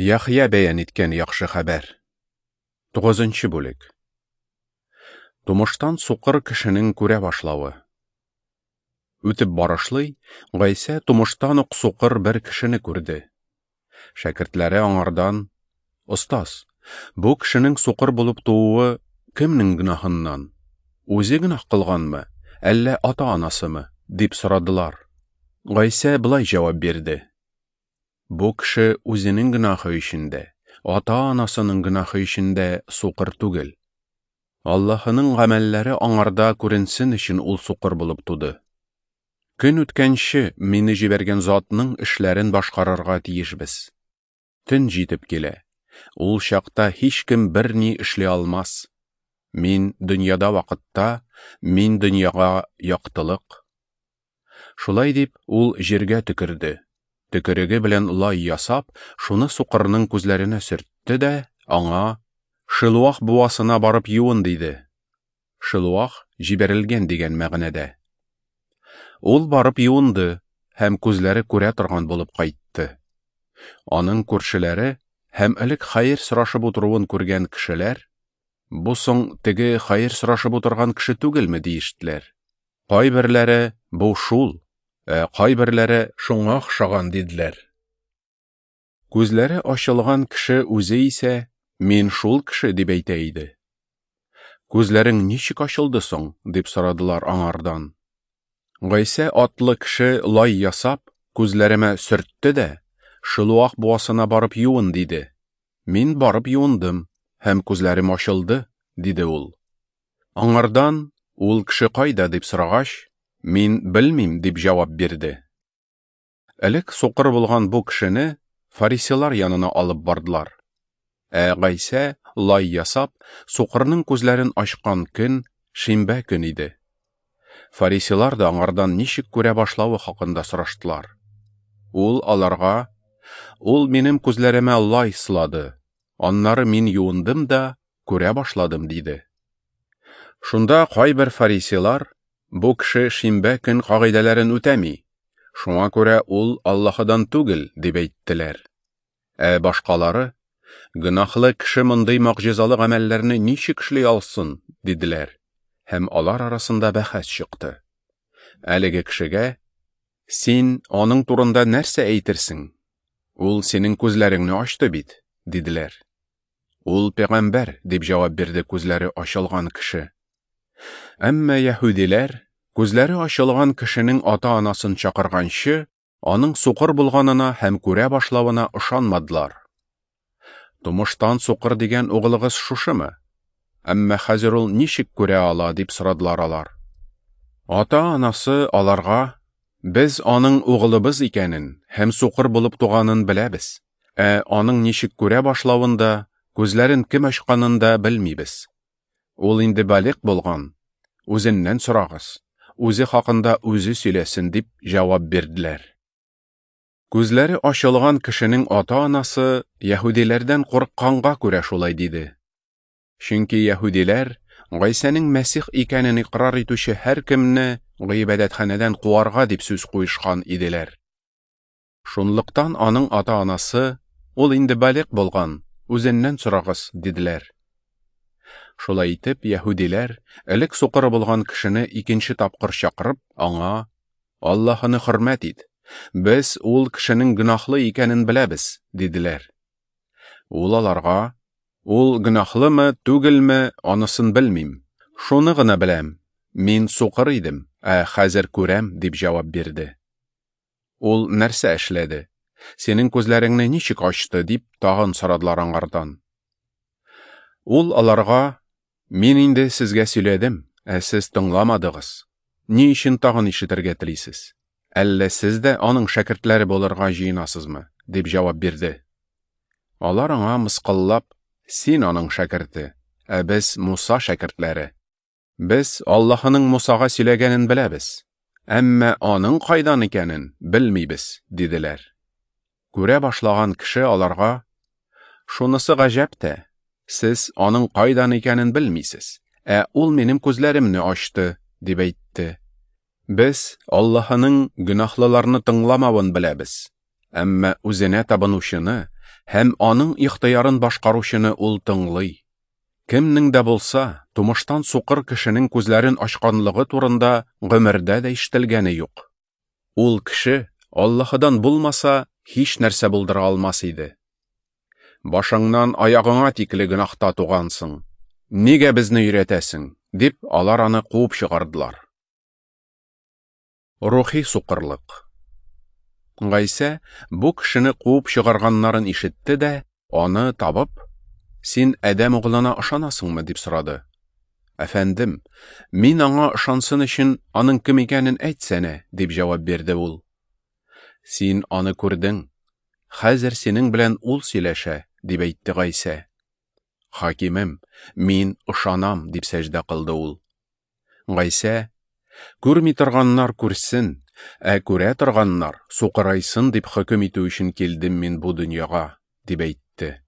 Яхъя бәян иткән яхшы хәбәр. 9 бүлек. Тумыштан сукыр кешенең күрә башлавы. Үтеп барышлый, Гайсә тумыштан ук сукыр бер кешене күрде. Шәкертләре аңардан: "Остаз, бу кешенең сукыр булып тууы кемнең гөнаһыннан? Үзе гөнаһ кылганмы, әллә ата-анасымы?" дип сорадылар. Гайсә болай җавап бирде: "Бу кеше үзенең гөнаһы өчен дә, ата-анасының гөнаһы өчен дә сукыр түгел. Аллаһының гамәлләре аңарда күренсен өчен ул сукыр булып туды. Көн үткәнче мине җибәргән затның эшләрен башкарырга тиешбез. Төн җитеп килә. Ул чакта һичкем берни эшли алмас. Мин дөньяда вакытта, мин дөньяга яктылык." Шулай дип, ул җиргә төкерде. Төкереге белән лай ясап, шуны сукырның күзләренә сөртте дә, аңа: "Шилуах буасына барып юын", диде. Шилуах җибәрелгән дигән мәгънәдә. Ул барып юынды һәм күзләре күрә торган булып кайтты. Аның күршеләре һәм элек хәер сорашып утыруын күргән кешеләр: "Бу соң теге хәер сорашып утырган кеше түгелме?" диештеләр. Кайберләре: "Бу шул", ә кайберләре: "Шуңа охшаган", диделәр. Күзләре ачылган кеше үзе исә: "Мин шул кеше", дип әйтә иде. "Күзләрең ничек ачылды соң?" дип сорадылар аңардан. Гайсә атлы кеше лай ясап, күзләремә сөртте дә, "Шилуах буасына барып юын", диде. "Мин барып юындым, һәм күзләрем ачылды", диде ул. Аңардан: "Ул кеше кайда?" дип сорагач, "Мин белмим", дип җавап бирде. Элек сукыр булган бу кешене фарисейлар янына алып бардылар. Ә Гайсә лай ясап, сукырның күзләрен ачкан көн шимбә көн иде. Фарисейлар да аңардан ничек күрә башлавы хакында сораштылар. Ул аларга: "Ул минем күзләремә лай сылады, аннары мин юындым да күрә башладым", диде. Шунда кайбер фарисейлар: "Бу кеше шимбә көн кагыйдәләрен үтәми, шуңа күрә ул Аллаһыдан түгел", дип әйттеләр. Ә башкалары: "Гөнаһлы кеше мондый могҗизалы гамәлләрне ничек эшли алсын?" диделәр. Һәм алар арасында бәхәс чыкты. Әлеге кешегә: "Син аның турында нәрсә әйтерсең? Ул синең күзләреңне ачты бит", диделәр. "Ул пәйгамбәр", дип җавап бирде күзләре ачылган кеше. Әмма яһүдиләр күзләре ачылган кешенең ата-анасын чакырганчы, аның сукыр булганына һәм күрә башлавына ышанмадылар. "Тумыштан сукыр дигән угылыгыз шушымы? Әмма хәзер ул ничек күрә ала?" дип сорадылар алар. Ата-анасы аларга: "Без аның угылыбыз икәнен һәм сукыр булып туганын беләбез, ә аның ничек күрә башлавын да, күзләрен кем ачканын да белмибез. Ул инде балигъ булган, үзеннән сорагыз, үзе хакында үзе сөйләсен", дип җавап бирделәр. Күзләре ачылган кешенең ата-анасы яһүдиләрдән курыкканга күрә шулай диде. Чөнки яһүдиләр Гайсәнең Мәсих икәнен икърар итүче һәркемне гыйбадәтханәдән куарга дип сүз куешкан иделәр. Шунлыктан аның ата-анасы: "Ул инде балигъ булган, үзеннән сорагыз", диделәр. Шулай итеп, яһүдиләр элек сукыр булган кешене икенче тапкыр чакырып, аңа: "Аллаһыны хөрмәт ит, без ул кешенең гөнаһлы икәнен беләбез", диделәр. Ул аларга: "Ул гөнаһлымы, түгелме, анысын белмим. Шуны гына беләм: мин сукыр идем, ә хәзер күрәм", дип җавап бирде. "Ул нәрсә эшләде? Синең күзләреңне ничек ачты?" дип тагын сорадылар аңардан. Ул аларга: "Мин инде сезгә сөйләдем, ә сез тыңламадыгыз. Ни өчен тагын ишетергә телисез? Әллә сез дә аның шәкертләре булырга җыенасызмы?" дип җавап бирде. Алар аңа мыскыллап: "Син аның шәкерте, ә без Муса шәкертләре. Без Аллаһының Мусага сөйләгәнен беләбез, әмма аның кайдан икәнен белмибез", диделәр. Күрә башлаган кеше аларга: "Шунысы гаҗәп тә, сез аның кайдан икәнен белмисез, ә ул минем күзләремне ачты", дип әйтте. "Без Аллаһының гөнаһлыларны тыңламавын беләбез, әмма үзенә табынучыны һәм аның ихтыярын башкаручыны ул тыңлый. Кемнең дә булса, тумыштан сукыр кешенең күзләрен ачканлыгы турында гомердә дә ишетелгәне юк. Ул кеше Аллаһыдан булмаса, һич нәрсә булдыра алмас иде. Башыңнан аягыңа тикле гөнаһта тугансың. Нигә безне өйрәтәсең? Дип, алар аны куып чыгардылар. Рухи сукырлык. Гайсә бу кешене куып чыгарганнарын ишетте дә, аны табып, Син Адәм углына ышанасыңмы? Дип сорады. Әфәндем, мин аңа ышансын өчен аның кем икәнен әйтсәнә, дип җавап бирде ул. Син аны күрдең. Хәзер синең белән ул сөйләшә, дип әйтте Гайсә. Хакимем, мин ышанам, дип сәҗдә кылды ул. Гайсә, күрми торганнар күрсен, ә күрә торганнар сукырайсын дип хөкем итү өчен килдем мин бу дөньяга, дип әйтте.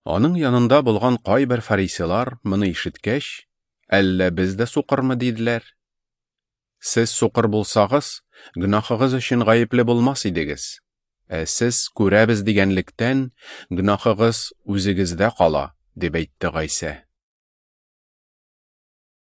Аның янында булган кайбер фарисейлар моны ишеткәч, әллә без дә сукырмы, диделәр. Сез сукыр булсагыз, гөнаһыгыз өчен гаепле булмас идегез. Ә сез күрәбез дигәнлектән, гөнаһыгыз үзегездә кала, дип әйтте Гайсә.